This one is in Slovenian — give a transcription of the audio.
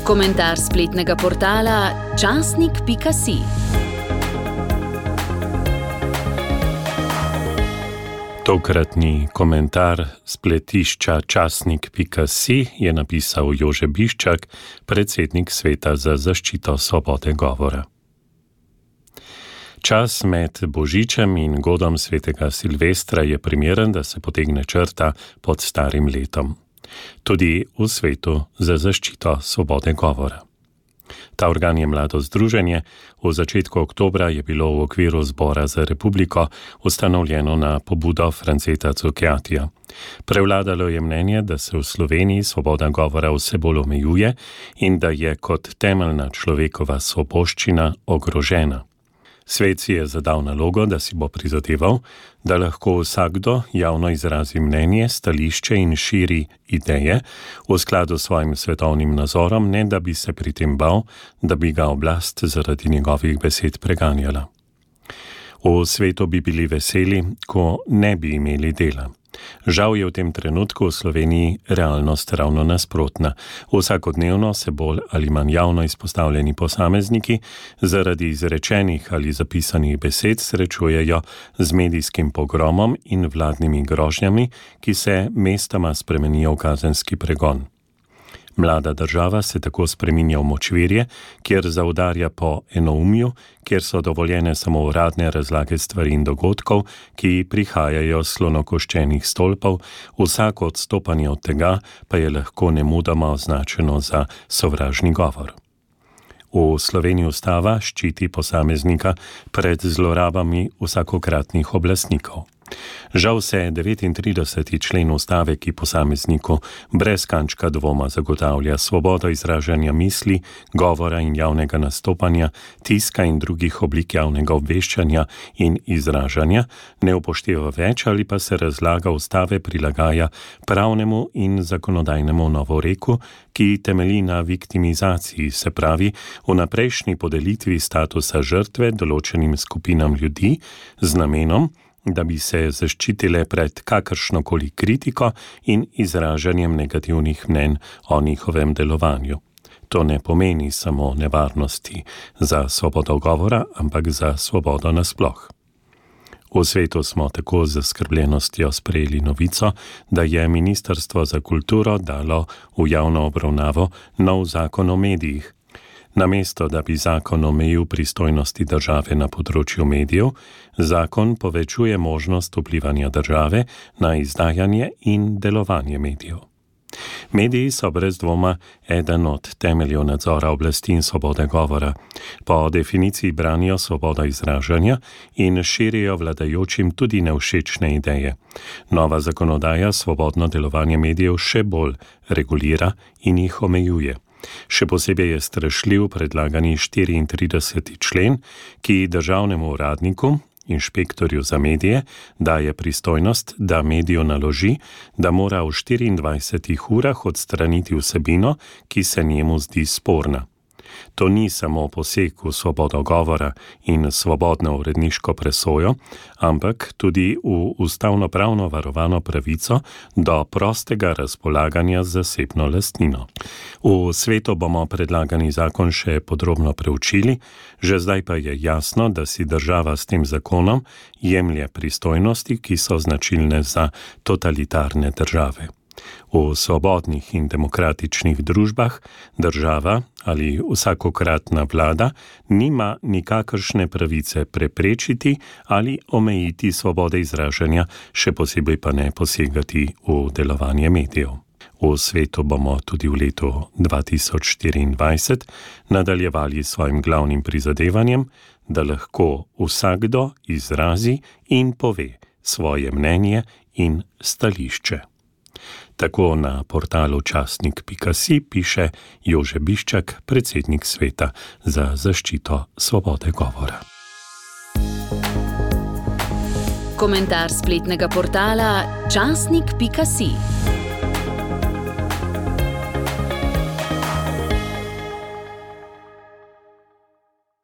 Komentar spletnega portala časnik.si. Tokratni komentar spletišča časnik.si je napisal Jože Biščak, predsednik Sveta za zaščito svobode govora. Čas med Božičem in godom svetega Silvestra je primeren, da se potegne črta pod starim letom. Tudi v Svetu za zaščito svobode govora. Ta organ je mlado združenje, v začetku oktobra je bilo v okviru Zbora za republiko ustanovljeno na pobudo Franceta Cukjatija. Prevladalo je mnenje, da se v Sloveniji svoboda govora vse bolj omejuje in da je kot temeljna človekova svoboščina ogrožena. Svet si je zadal nalogo, da si bo prizadeval, da lahko vsakdo javno izrazi mnenje, stališče in širi ideje v skladu s svojim svetovnim nazorom, ne da bi se pri tem bal, da bi ga oblast zaradi njegovih besed preganjala. V svetu bi bili veseli, ko ne bi imeli dela. Žal je v tem trenutku v Sloveniji realnost ravno nasprotna. Vsakodnevno se bolj ali manj javno izpostavljeni posamezniki zaradi izrečenih ali zapisanih besed srečujejo z medijskim pogromom in vladnimi grožnjami, ki se mestoma spremenijo v kazenski pregon. Mlada država se tako spreminja v močvirje, kjer zaudarja po enoumju, kjer so dovoljene samo uradne razlage stvari in dogodkov, ki prihajajo s slonokoščenih stolpov, vsako odstopanje od tega pa je lahko nemudoma označeno za sovražni govor. V Sloveniji ustava ščiti posameznika pred zlorabami vsakokratnih oblastnikov. Žal se 39. člen ustave, ki posamezniku brez kančka dvoma zagotavlja svobodo izražanja misli, govora in javnega nastopanja, tiska in drugih oblik javnega obveščanja in izražanja, ne upošteva več ali pa se razlaga ustave prilagaja pravnemu in zakonodajnemu novoreku, ki temelji na viktimizaciji, se pravi vnaprejšnji podelitvi statusa žrtve določenim skupinam ljudi z namenom, da bi se zaščitile pred kakršnokoli kritiko in izražanjem negativnih mnenj o njihovem delovanju. To ne pomeni samo nevarnosti za svobodo govora, ampak za svobodo nasploh. V svetu smo tako z zaskrbljenostjo sprejeli novico, da je Ministrstvo za kulturo dalo v javno obravnavo nov zakon o medijih. Namesto, da bi zakon omejil pristojnosti države na področju medijev, zakon povečuje možnost vplivanja države na izdajanje in delovanje medijev. Mediji so brez dvoma eden od temeljev nadzora oblasti in svobode govora. Po definiciji branijo svobodo izražanja in širijo vladajočim tudi nevšečne ideje. Nova zakonodaja svobodno delovanje medijev še bolj regulira in jih omejuje. Še posebej je strašljiv predlagani 34. člen, ki državnemu uradniku, inšpektorju za medije, daje pristojnost, da mediju naloži, da mora v 24 urah odstraniti vsebino, ki se njemu zdi sporna. To ni samo poseg v svobodo govora in svobodno uredniško presojo, ampak tudi v ustavno-pravno varovano pravico do prostega razpolaganja z zasebno lastnino. V svetu bomo predlagani zakon še podrobno preučili, že zdaj pa je jasno, da si država s tem zakonom jemlje pristojnosti, ki so značilne za totalitarne države. V svobodnih in demokratičnih družbah država ali vsakokratna vlada nima nikakršne pravice preprečiti ali omejiti svobode izražanja, še posebej pa ne posegati v delovanje medijev. V svetu bomo tudi v letu 2024 nadaljevali s svojim glavnim prizadevanjem, da lahko vsakdo izrazi in pove svoje mnenje in stališče. Tako na portalu časnik.si piše Jože Biščak, predsednik Sveta za zaščito svobode govora. Komentar spletnega portala časnik.si.